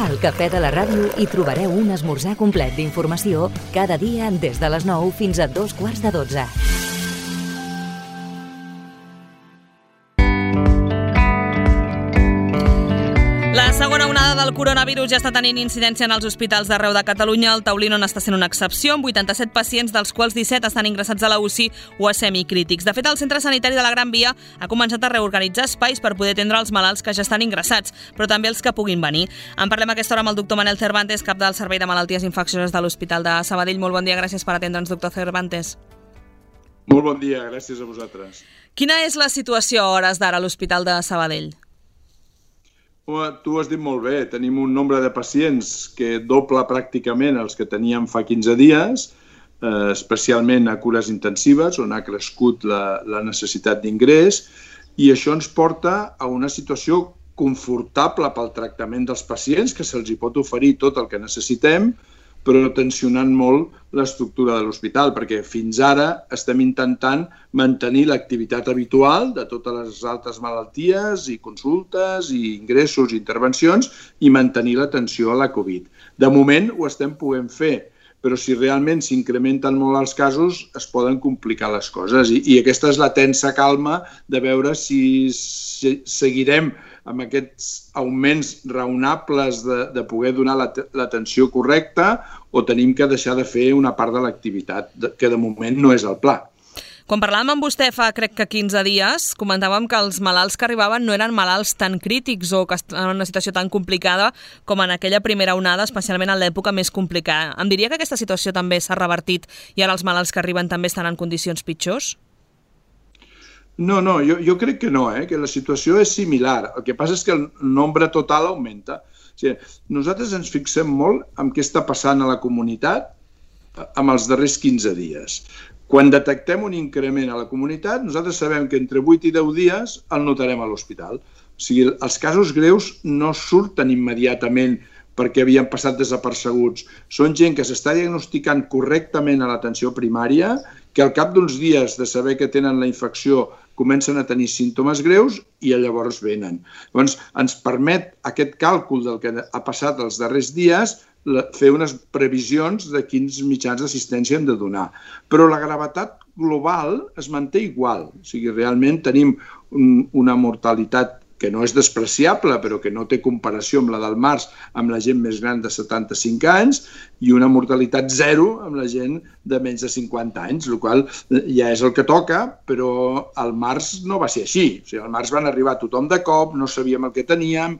Al Cafè de la Ràdio hi trobareu un esmorzar complet d'informació cada dia des de les 9 fins a 11:45. La segona onada del coronavirus ja està tenint incidència en els hospitals d'arreu de Catalunya. El Taulí no n'està sent una excepció, amb 87 pacients, dels quals 17 estan ingressats a la UCI o a semicrítics. De fet, el centre sanitari de la Gran Via ha començat a reorganitzar espais per poder atendre els malalts que ja estan ingressats, però també els que puguin venir. En parlem a aquesta hora amb el doctor Manel Cervantes, cap del Servei de Malalties Infeccioses de l'Hospital de Sabadell. Molt bon dia, gràcies per atendre'ns, doctor Cervantes. Molt bon dia, gràcies a vosaltres. Quina és la situació a hores d'ara a l'Hospital de Sabadell? Tu ho has dit molt bé, tenim un nombre de pacients que doble pràcticament els que teníem fa 15 dies, especialment a cures intensives, on ha crescut la necessitat d'ingrés, i això ens porta a una situació confortable pel tractament dels pacients, que se'ls hi pot oferir tot el que necessitem, però tensionant molt l'estructura de l'hospital, perquè fins ara estem intentant mantenir l'activitat habitual de totes les altres malalties i consultes i ingressos i intervencions i mantenir l'atenció a la Covid. De moment ho estem podent fer, però si realment s'incrementen molt els casos es poden complicar les coses i aquesta és la tensa calma de veure si seguirem amb aquests augments raonables de poder donar l'atenció correcta o tenim que deixar de fer una part de l'activitat, que de moment no és el pla. Quan parlàvem amb vostè fa, crec que 15 dies, comentàvem que els malalts que arribaven no eren malalts tan crítics o que estaven en una situació tan complicada com en aquella primera onada, especialment en l'època més complicada. Em diria que aquesta situació també s'ha revertit i ara els malalts que arriben també estan en condicions pitjors? No, jo crec que no, que la situació és similar. El que passa és que el nombre total augmenta. O sigui, nosaltres ens fixem molt en què està passant a la comunitat amb els darrers 15 dies. Quan detectem un increment a la comunitat, nosaltres sabem que entre 8 i 10 dies el notarem a l'hospital. O sigui, els casos greus no surten immediatament perquè havien passat desapercebuts. Són gent que s'està diagnosticant correctament a l'atenció primària, que al cap d'uns dies de saber que tenen la infecció comencen a tenir símptomes greus i llavors venen. Llavors, ens permet aquest càlcul del que ha passat els darrers dies fer unes previsions de quins mitjans d'assistència hem de donar. Però la gravetat global es manté igual. O sigui, realment tenim una mortalitat que no és despreciable, però que no té comparació amb la del març, amb la gent més gran de 75 anys, i una mortalitat zero amb la gent de menys de 50 anys, el qual ja és el que toca, però al març no va ser així. O sigui, al març van arribar tothom de cop, no sabíem el que teníem,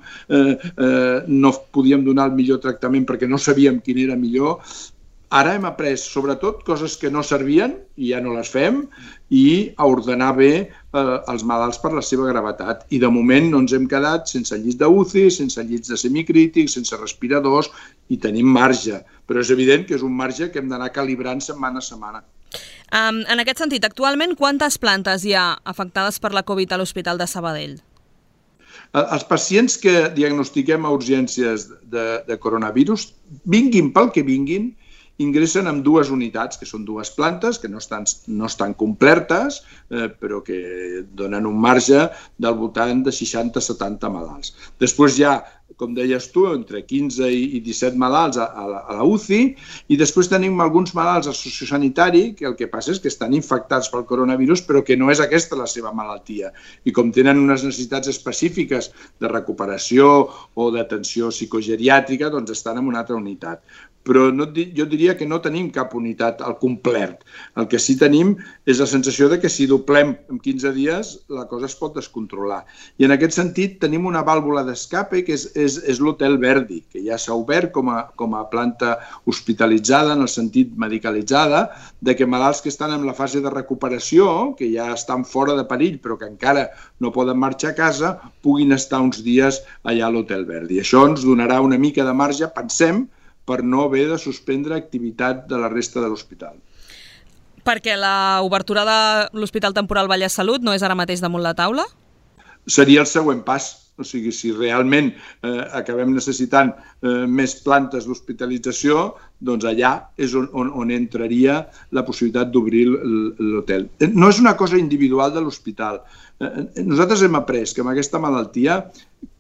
no podíem donar el millor tractament perquè no sabíem quin era millor. Ara hem après, sobretot, coses que no servien, i ja no les fem, i a ordenar bé els malalts per la seva gravetat. I de moment no ens hem quedat sense llits d'UCI, sense llits de semicrítics, sense respiradors, i tenim marge. Però és evident que és un marge que hem d'anar calibrant setmana a setmana. En aquest sentit, actualment, quantes plantes hi ha afectades per la Covid a l'Hospital de Sabadell? Els pacients que diagnostiquem a urgències de coronavirus, vinguin pel que vinguin, ingressen en dues unitats, que són dues plantes, que no estan complertes, però que donen un marge del voltant de 60-70 malalts. Després hi ha, com deies tu, entre 15 i 17 malalts a la UCI, i després tenim alguns malalts al sociosanitari, que el que passa és que estan infectats pel coronavirus, però que no és aquesta la seva malaltia. I com tenen unes necessitats específiques de recuperació o d'atenció psicogeriàtrica, doncs estan en una altra unitat. Però jo diria que no tenim cap unitat al complet. El que sí tenim és la sensació de que si doblem en 15 dies la cosa es pot descontrolar. I en aquest sentit tenim una vàlvula d'escape que és l'Hotel Verdi, que ja s'ha obert com a planta hospitalitzada, en el sentit medicalitzada, de que malalts que estan en la fase de recuperació, que ja estan fora de perill però que encara no poden marxar a casa, puguin estar uns dies allà a l'Hotel Verdi. Això ens donarà una mica de marge, pensem, per no haver de suspendre activitat de la resta de l'hospital. Perquè l'obertura de l'Hospital Temporal Vallès Salut no és ara mateix damunt la taula? Seria el següent pas. O sigui, si realment acabem necessitant més plantes d'hospitalització, doncs allà és on entraria la possibilitat d'obrir l'hotel. No és una cosa individual de l'hospital. Nosaltres hem après que amb aquesta malaltia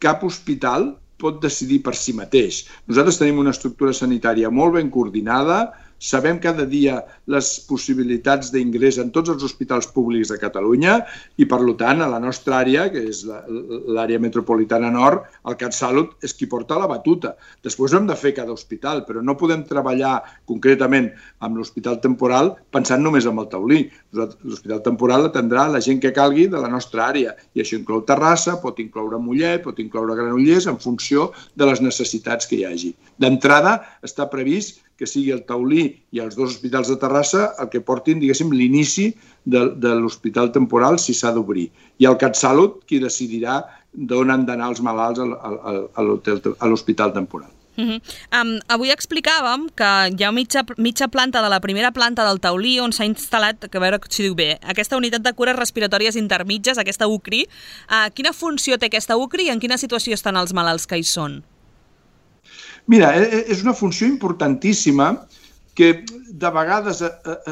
cap hospital pot decidir per si mateix. Nosaltres tenim una estructura sanitària molt ben coordinada, sabem cada dia les possibilitats d'ingrés en tots els hospitals públics de Catalunya i, per tant, a la nostra àrea, que és l'àrea metropolitana nord, el CatSalut és qui porta la batuta. Després ho hem de fer cada hospital, però no podem treballar concretament amb l'hospital temporal pensant només en el taulí. L'hospital temporal atendrà la gent que calgui de la nostra àrea i això inclou Terrassa, pot incloure Mollet, pot incloure Granollers en funció de les necessitats que hi hagi. D'entrada està previst que sigui el taulí i els dos hospitals de Terrassa el que portin, diguéssim, l'inici de l'hospital temporal si s'ha d'obrir. I el CatSalut qui decidirà d'on han d'anar els malalts a l'hospital temporal. Avui explicàvem que hi ha mitja planta de la primera planta del taulí on s'ha instal·lat, que a veure si diu bé, aquesta unitat de cures respiratòries intermitges, aquesta UCRI. Quina funció té aquesta UCRI i en quina situació estan els malalts que hi són? Mira, és una funció importantíssima que de vegades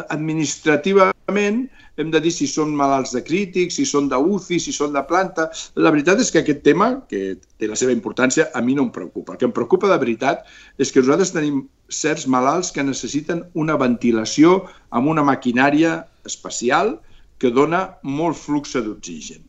administrativament hem de dir si són malalts de crítics, si són d'UCI, si són de planta. La veritat és que aquest tema, que té la seva importància, a mi no em preocupa. El que em preocupa de veritat és que nosaltres tenim certs malalts que necessiten una ventilació amb una maquinària especial que dona molt flux d'oxigen.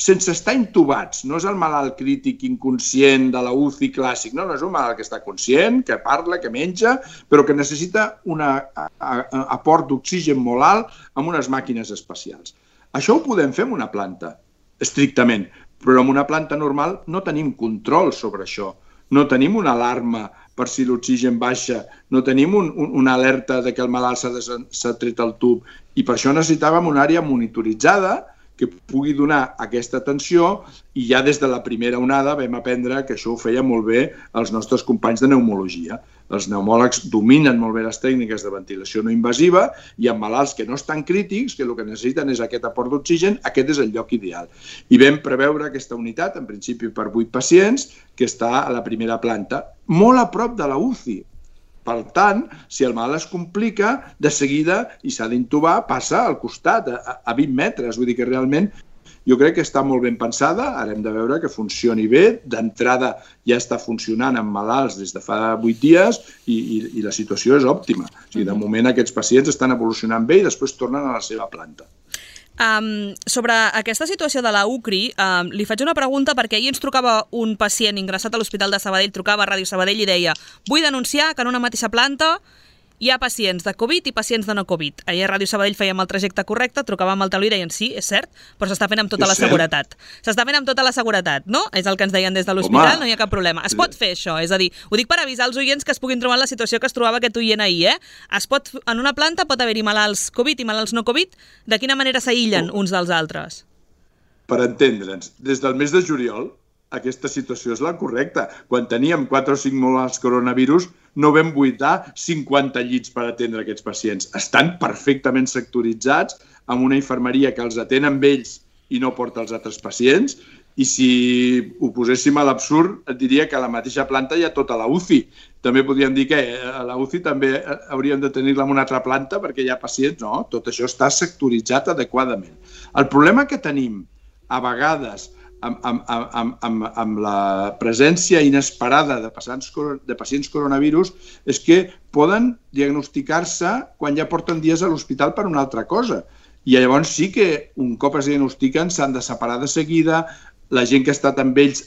Sense estar intubats, no és el malalt crític inconscient de la UCI clàssic, no, és un malalt que està conscient, que parla, que menja, però que necessita un aport d'oxigen molt alt amb unes màquines especials. Això ho podem fer en una planta, estrictament, però en una planta normal no tenim control sobre això. No tenim una alarma per si l'oxigen baixa, no tenim una alerta de que el malalt s'ha tret el tub i per això necessitàvem una àrea monitoritzada que pugui donar aquesta atenció i ja des de la primera onada vam aprendre que això ho feia molt bé els nostres companys de pneumologia. Els pneumòlegs dominen molt bé les tècniques de ventilació no invasiva i amb malalts que no estan crítics, que el que necessiten és aquest aport d'oxigen, aquest és el lloc ideal. I vam preveure aquesta unitat, en principi per 8 pacients, que està a la primera planta, molt a prop de la UCI. Per tant, si el malalt es complica, de seguida, i s'ha d'intubar, passa al costat, a 20 metres. Vull dir que realment jo crec que està molt ben pensada, ara hem de veure que funcioni bé. D'entrada ja està funcionant amb malalts des de fa 8 dies i la situació és òptima. O sigui, de moment aquests pacients estan evolucionant bé i després tornen a la seva planta. Sobre aquesta situació de la UCRI, li faig una pregunta perquè ahir ens trucava un pacient ingressat a l'Hospital de Sabadell, trucava a Ràdio Sabadell i deia: vull denunciar que en una mateixa planta hi ha pacients de Covid i pacients de no Covid. Ahir a Ràdio Sabadell fèiem el trajecte correcte, trucàvem al taulí i deien sí, és cert, però s'està fent amb tota la seguretat. S'està fent amb tota la seguretat, no? És el que ens deien des de l'hospital, no hi ha cap problema. Es pot fer això, és a dir, ho dic per avisar els oients que es puguin trobar en la situació que es trobava aquest oient ahir, en una planta pot haver-hi malalts Covid i malalts no Covid, de quina manera s'aïllen uns dels altres? Per entendre'ns, des del mes de juliol aquesta situació és la correcta. Quan teníem 4 o 5 malalts coronavirus, no vam buidar 50 llits per atendre aquests pacients. Estan perfectament sectoritzats amb una infermeria que els atén amb ells i no porta els altres pacients. I si ho poséssim a l'absurd, et diria que a la mateixa planta hi ha tota la UCI. També podríem dir que a la UCI també hauríem de tenir-la en una altra planta perquè hi ha pacients. No, tot això està sectoritzat adequadament. El problema que tenim a vegades amb la presència inesperada de pacients coronavirus és que poden diagnosticar-se quan ja porten dies a l'hospital per una altra cosa. I llavors sí que un cop es diagnostiquen s'han de separar de seguida, la gent que ha estat amb ells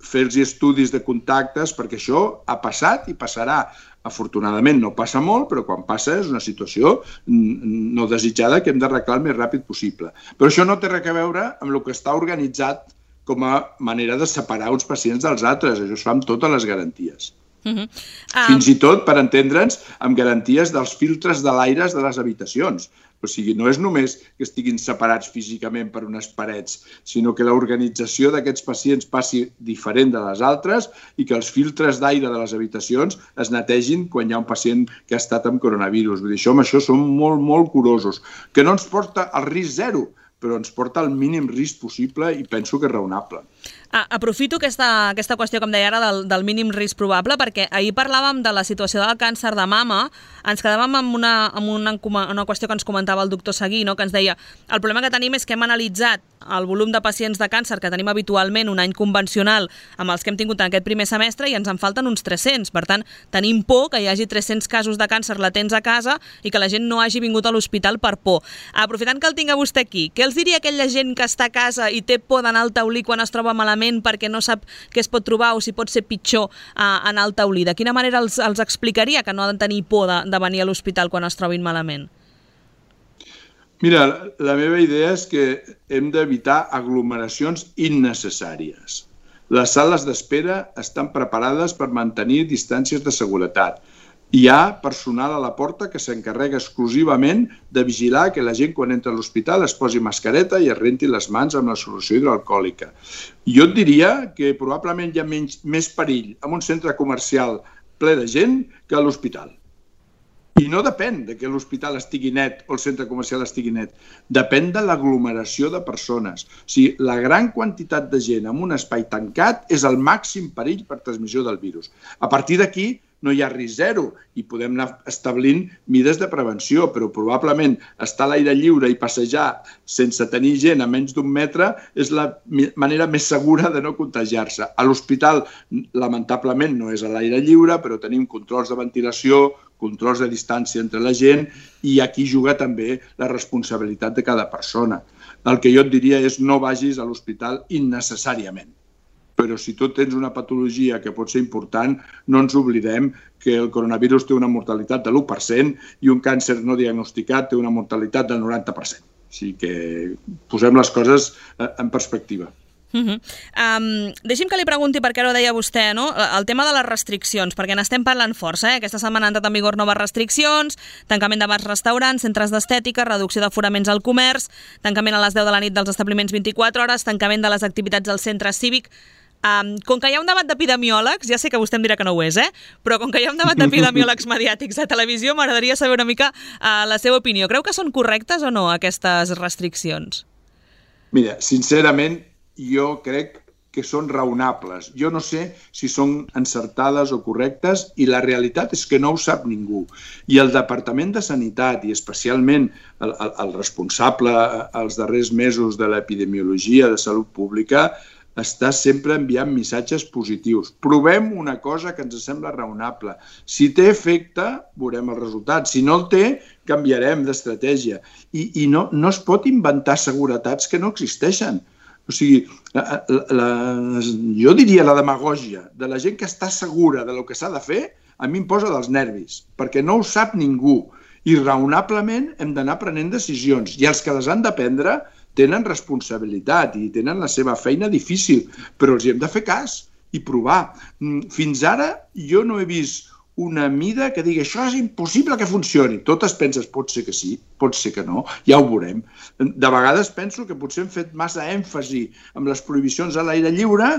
fer-los estudis de contactes, perquè això ha passat i passarà. Afortunadament no passa molt, però quan passa és una situació no desitjada que hem d'arreglar el més ràpid possible. Però això no té res a veure amb el que està organitzat com a manera de separar uns pacients dels altres. Això es fa amb totes les garanties. Fins i tot, per entendre'ns, amb garanties dels filtres de l'aire de les habitacions. O sigui, no és només que estiguin separats físicament per unes parets, sinó que l'organització d'aquests pacients passi diferent de les altres i que els filtres d'aire de les habitacions es netegin quan hi ha un pacient que ha estat amb coronavirus. Vull dir, amb això som molt, molt curosos. Que no ens porta al risc zero, però ens porta al mínim risc possible i penso que és raonable. Aprofito aquesta qüestió que em deia ara del mínim risc probable, perquè ahir parlàvem de la situació del càncer de mama, ens quedàvem amb una qüestió que ens comentava el doctor Seguí, no? Que ens deia, el problema que tenim és que hem analitzat el volum de pacients de càncer que tenim habitualment un any convencional amb els que hem tingut en aquest primer semestre i ens en falten uns 300. Per tant, tenim por que hi hagi 300 casos de càncer latents a casa i que la gent no hagi vingut a l'hospital per por. Aprofitant que el tinc a vostè aquí, què els diria aquella gent que està a casa i té por d'anar al taulí quan es troba malament perquè no sap què es pot trobar o si pot ser pitjor anar al taulí? De quina manera els explicaria que no han de tenir por de venir a l'hospital quan es trobin malament? Mira, la meva idea és que hem d'evitar aglomeracions innecessàries. Les sales d'espera estan preparades per mantenir distàncies de seguretat. Hi ha personal a la porta que s'encarrega exclusivament de vigilar que la gent quan entra a l'hospital es posi mascareta i es renti les mans amb la solució hidroalcohòlica. Jo et diria que probablement hi ha més perill en un centre comercial ple de gent que a l'hospital. I no depèn de que l'hospital estigui net o el centre comercial estigui net. Depèn de l'aglomeració de persones. O sigui, la gran quantitat de gent en un espai tancat és el màxim perill per transmissió del virus. A partir d'aquí no hi ha risc zero i podem anar establint mides de prevenció, però probablement estar a l'aire lliure i passejar sense tenir gent a menys d'un metre és la manera més segura de no contagiar-se. A l'hospital, lamentablement, no és a l'aire lliure, però tenim controls de ventilació, controls de distància entre la gent i aquí juga també la responsabilitat de cada persona. El que jo et diria és no vagis a l'hospital innecessàriament. Però si tu tens una patologia que pot ser important, no ens oblidem que el coronavirus té una mortalitat de l'1% i un càncer no diagnosticat té una mortalitat del 90%. O sigui que posem les coses en perspectiva. Deixi'm que li pregunti, perquè ara ho deia vostè, no? El tema de les restriccions, perquè n'estem parlant força. Aquesta setmana han entrat en vigor noves restriccions, tancament de bars, restaurants, centres d'estètica, reducció d'aforaments al comerç, tancament a les 10 de la nit dels establiments 24 hores, tancament de les activitats del centre cívic. Com que hi ha un debat d'epidemiòlegs, ja sé que vostè em dirà que no ho és, però com que hi ha un debat d'epidemiòlegs mediàtics a televisió, m'agradaria saber una mica la seva opinió. Creu que són correctes o no aquestes restriccions? Mira, sincerament, jo crec que són raonables. Jo no sé si són encertades o correctes i la realitat és que no ho sap ningú. I el Departament de Sanitat i especialment el responsable els darrers mesos de l'epidemiologia de salut pública està sempre enviant missatges positius. Provem una cosa que ens sembla raonable. Si té efecte, veurem el resultat. Si no el té, canviarem d'estratègia. I no es pot inventar seguretats que no existeixen. O sigui, jo diria la demagògia de la gent que està segura del que s'ha de fer, a mi em posa dels nervis, perquè no ho sap ningú. I raonablement hem d'anar prenent decisions. I els que les han de prendre tenen responsabilitat i tenen la seva feina difícil, però els hi hem de fer cas i provar. Fins ara jo no he vist una mida que digui això és impossible que funcioni. Totes penses, pot ser que sí, pot ser que no, ja ho veurem. De vegades penso que potser hem fet massa èmfasi amb les prohibicions a l'aire lliure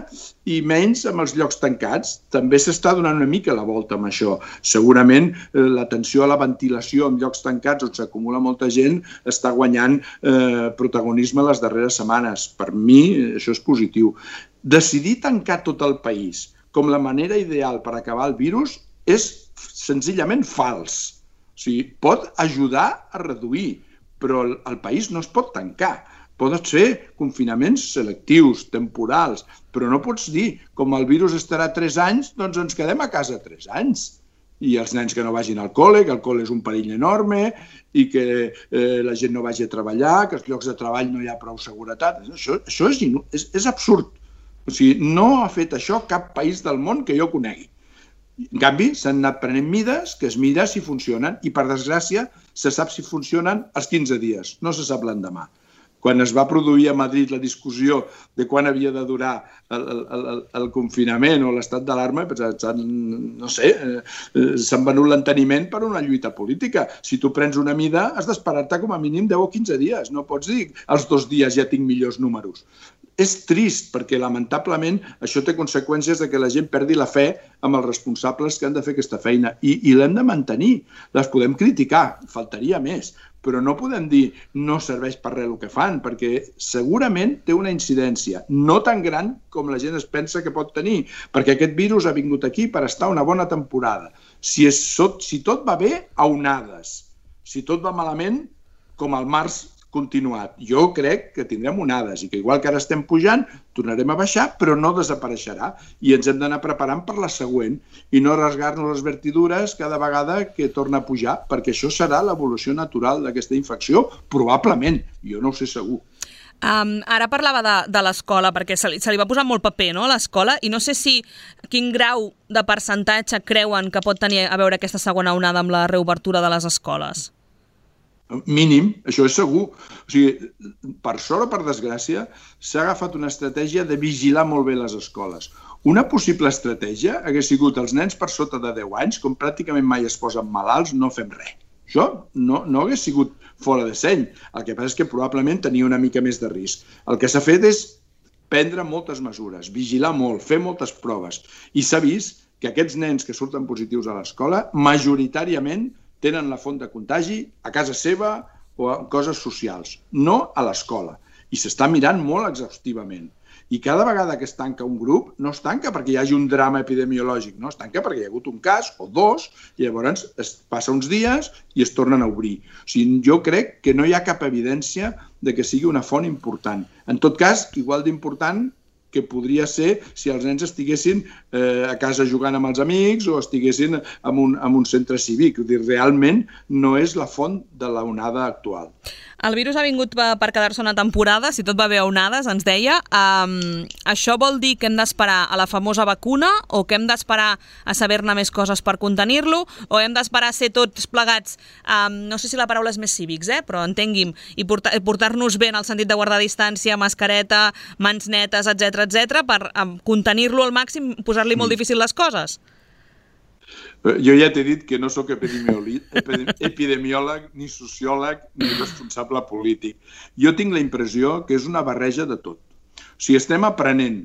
i menys amb els llocs tancats. També s'està donant una mica la volta amb això. Segurament l'atenció a la ventilació en llocs tancats on s'acumula molta gent està guanyant protagonisme les darreres setmanes. Per mi això és positiu. Decidir tancar tot el país com la manera ideal per acabar el virus és senzillament fals. O sigui, pot ajudar a reduir, però el país no es pot tancar. Poden ser confinaments selectius, temporals, però no pots dir, com el virus estarà 3 anys, doncs ens quedem a casa 3 anys. I els nens que no vagin al col·le, que el col·le és un perill enorme, i que la gent no vagi a treballar, que als llocs de treball no hi ha prou seguretat. Això és absurd. O sigui, no ha fet això cap país del món que jo conegui. En canvi, s'han anat prenent mides que es mira si funcionen i, per desgràcia, se sap si funcionen als 15 dies, no se sap l'endemà. Quan es va produir a Madrid la discussió de quan havia de durar el confinament o l'estat d'alarma, no sé, s'han venut l'enteniment per una lluita política. Si tu prens una mida, has d'esperar-te com a mínim 10 o 15 dies. No pots dir als 2 dies ja tinc millors números. és trist, perquè lamentablement això té conseqüències de que la gent perdi la fe amb els responsables que han de fer aquesta feina i l'hem de mantenir. Les podem criticar, faltaria més, però no podem dir no serveix per res el que fan, perquè segurament té una incidència no tan gran com la gent es pensa que pot tenir, perquè aquest virus ha vingut aquí per estar una bona temporada. Si tot va bé, a onades. Si tot va malament, com al març continuat. Jo crec que tindrem onades i que igual que ara estem pujant, tornarem a baixar, però no desapareixerà. I ens hem d'anar preparant per la següent i no rasgar-nos les vertidures cada vegada que torna a pujar, perquè això serà l'evolució natural d'aquesta infecció, probablement. Jo no ho sé segur. Ara parlava de l'escola, perquè se li va posar molt paper, no?, a l'escola, i no sé quin grau de percentatge creuen que pot tenir a veure aquesta segona onada amb la reobertura de les escoles. Mínim, això és segur. O sigui, per sort o per desgràcia, s'ha agafat una estratègia de vigilar molt bé les escoles. Una possible estratègia hagués sigut els nens per sota de 10 anys, com pràcticament mai es posen malalts, no fem res. Això no hagués sigut fora de seny. El que passa és que probablement tenia una mica més de risc. El que s'ha fet és prendre moltes mesures, vigilar molt, fer moltes proves. I s'ha vist que aquests nens que surten positius a l'escola, majoritàriament tenen la font de contagi a casa seva o a coses socials, no a l'escola. I s'està mirant molt exhaustivament. I cada vegada que es tanca un grup, no es tanca perquè hi hagi un drama epidemiològic, no, es tanca perquè hi ha hagut un cas o dos i llavors es passa uns dies i es tornen a obrir. O sigui, jo crec que no hi ha cap evidència de que sigui una font important. En tot cas, igual d'important que podria ser si els nens estiguessin a casa jugant amb els amics o estiguessin en un centre cívic. Realment no és la font de la onada actual. El virus ha vingut per quedar-se una temporada, si tot va bé a onades, ens deia. Això vol dir que hem d'esperar a la famosa vacuna o que hem d'esperar a saber-ne més coses per contenir-lo o hem d'esperar a ser tots plegats, no sé si la paraula és més cívics, però entengui'm, i portar-nos bé en el sentit de guardar distància, mascareta, mans netes, etc per contenir-lo al màxim, posar-li molt difícil les coses? Jo ja t'he dit que no sóc epidemiòleg, ni sociòleg, ni responsable polític. Jo tinc la impressió que és una barreja de tot. O sigui, estem aprenent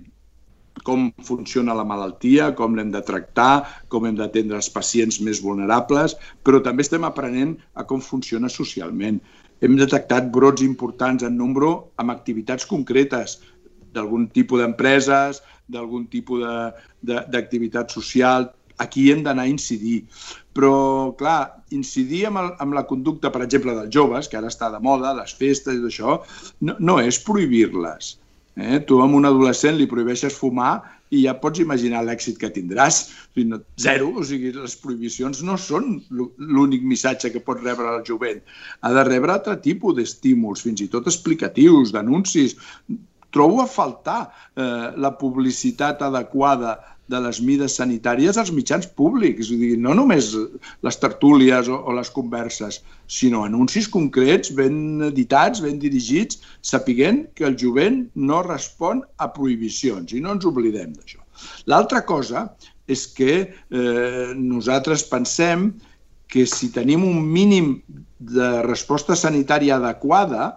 com funciona la malaltia, com l'hem de tractar, com hem d'atendre els pacients més vulnerables, però també estem aprenent a com funciona socialment. Hem detectat brots importants en nombre amb activitats concretes d'algun tipus d'empreses, d'algun tipus d'activitat social. Aquí hem d'anar a incidir. Però, clar, incidir amb la conducta, per exemple, dels joves, que ara està de moda, les festes i això, no és prohibir-les. Tu a un adolescent li prohibeixes fumar i ja pots imaginar l'èxit que tindràs. Zero, o sigui, les prohibicions no són l'únic missatge que pot rebre el jovent. Ha de rebre altre tipus d'estímuls, fins i tot explicatius, d'anuncis. Trobo a faltar la publicitat adequada de les mesures sanitàries als mitjans públics. No només les tertúlies o les converses, sinó anuncis concrets, ben editats, ben dirigits, sapiguent que el jovent no respon a prohibicions i no ens oblidem d'això. L'altra cosa és que nosaltres pensem que si tenim un mínim de resposta sanitària adequada,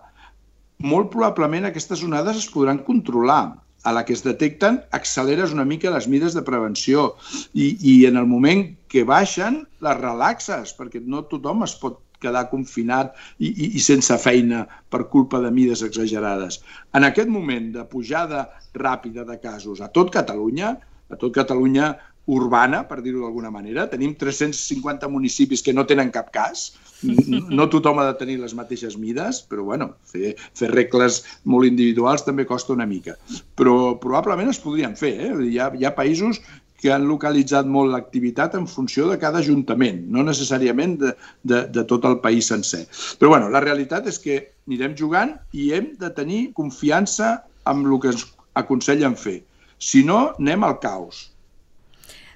molt probablement aquestes onades es podran controlar. A la que es detecten, acceleres una mica les mesures de prevenció i en el moment que baixen, les relaxes, perquè no tothom es pot quedar confinat i sense feina per culpa de mesures exagerades. En aquest moment de pujada ràpida de casos a tot Catalunya urbana, per dir-ho d'alguna manera, tenim 350 municipis que no tenen cap cas. No tothom ha de tenir les mateixes mides, però bueno, fer regles molt individuals també costa una mica. Però probablement es podrien fer. Hi ha països que han localitzat molt l'activitat en funció de cada ajuntament, no necessàriament de tot el país sencer. Però bueno, la realitat és que anirem jugant i hem de tenir confiança en el que ens aconsellen fer. Si no, anem al caos.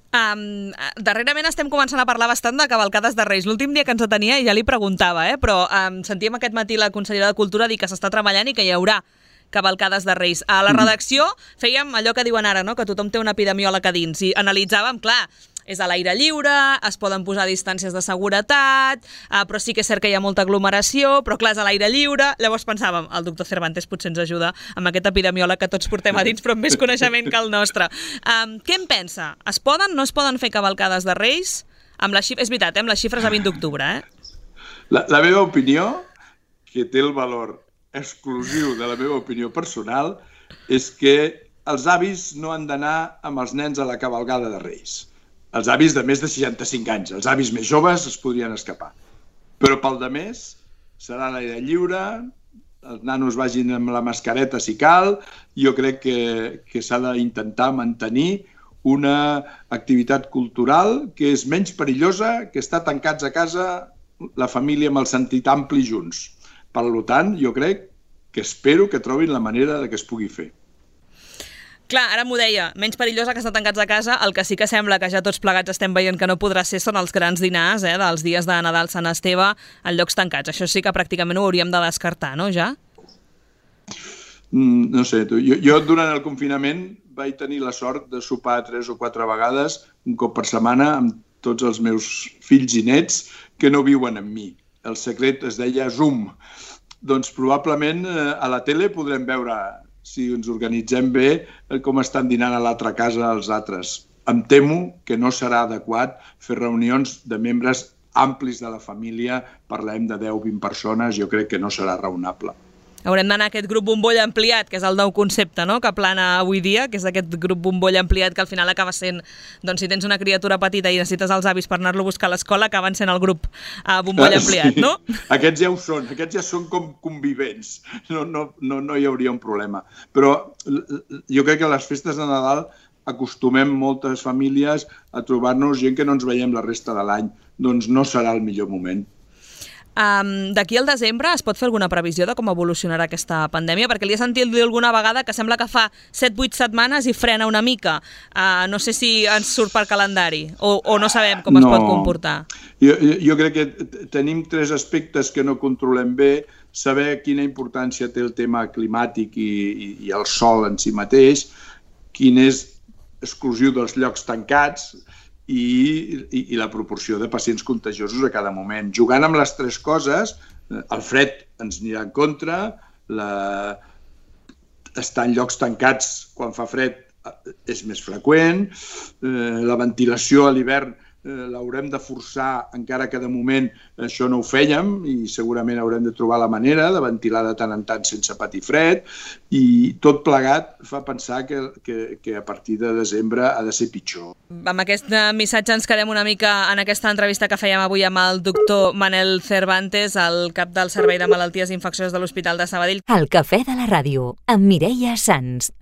Darrerament estem començant a parlar bastant de cavalcades de Reis. L'últim dia que ens atenia ja li preguntava, però sentíem aquest matí la consellera de Cultura dir que s'està treballant i que hi haurà cavalcades de Reis. A la redacció fèiem allò que diuen ara, no? Que tothom té un epidemiòleg a dins i analitzàvem, clar, és a l'aire lliure, es poden posar distàncies de seguretat, però sí que és cert que hi ha molta aglomeració, però clar, és a l'aire lliure. Llavors pensàvem, el doctor Cervantes potser ens ajuda amb aquest epidemiòleg que tots portem a dins, però amb més coneixement que el nostre. Què en pensa? Es poden, no es poden fer cavalcades de Reis? És veritat, amb les xifres a 20 d'octubre, La meva opinió, que té el valor exclusiu de la meva opinió personal, és que els avis no han d'anar amb els nens a la cavalgada de Reis. Els avis de més de 65 anys, els avis més joves es podrien escapar. Però pel de més serà a l'aire lliure, els nanos vagin amb la mascareta si cal. Jo crec que s'ha d'intentar mantenir una activitat cultural que és menys perillosa que estar tancats a casa la família amb el sentit ampli junts. Per tant, jo crec que espero que trobin la manera de que es pugui fer. Clar, ara m'ho deia, menys perillosa que estar tancats a casa. El que sí que sembla que ja tots plegats estem veient que no podrà ser són els grans dinars dels dies de Nadal, Sant Esteve, en llocs tancats. Això sí que pràcticament ho hauríem de descartar, no, ja? No sé, jo durant el confinament vaig tenir la sort de sopar 3 o 4 vegades, un cop per setmana, amb tots els meus fills i nets que no viuen amb mi. El secret es deia Zoom. Doncs probablement a la tele podrem veure, si ens organitzem bé, com estan dinant a l'altra casa els altres. Em temo que no serà adequat fer reunions de membres amplis de la família, parlem de 10-20 persones, jo crec que no serà raonable. Haurem d'anar a aquest grup bombolla ampliat, que és el nou concepte, no?, que plana avui dia, que és aquest grup bombolla ampliat que al final acaba sent, doncs si tens una criatura petita i necessites els avis per anar-lo a buscar a l'escola, acaben sent el grup bombolla ampliat, no? Aquests ja ho són, aquests ja són com convivents, no hi hauria un problema. Però jo crec que a les festes de Nadal acostumem moltes famílies a trobar-nos gent que no ens veiem la resta de l'any, doncs no serà el millor moment. D'aquí al desembre es pot fer alguna previsió de com evolucionarà aquesta pandèmia? Perquè li he sentit dir alguna vegada que sembla que fa 7-8 setmanes i frena una mica. No sé si ens surt per calendari o no sabem com es pot comportar. Jo crec que tenim 3 aspectes que no controlem bé. Saber quina importància té el tema climàtic i el sol en si mateix, quin és exclusiu dels llocs tancats, i la proporció de pacients contagiosos a cada moment. Jugant amb les 3 coses, el fred ens anirà en contra, estar en llocs tancats quan fa fred és més freqüent, la ventilació a l'hivern l'haurem de forçar, encara que de moment això no ho fèiem, i segurament haurem de trobar la manera de ventilar de tant en tant sense patir fred, i tot plegat fa pensar que a partir de desembre ha de ser pitjor. Amb aquest missatge ens quedem una mica en aquesta entrevista que fèiem avui amb el doctor Manel Cervantes, el cap del Servei de Malalties Infeccioses de l'Hospital de Sabadell. El Cafè de la Ràdio, amb Mireia Sans.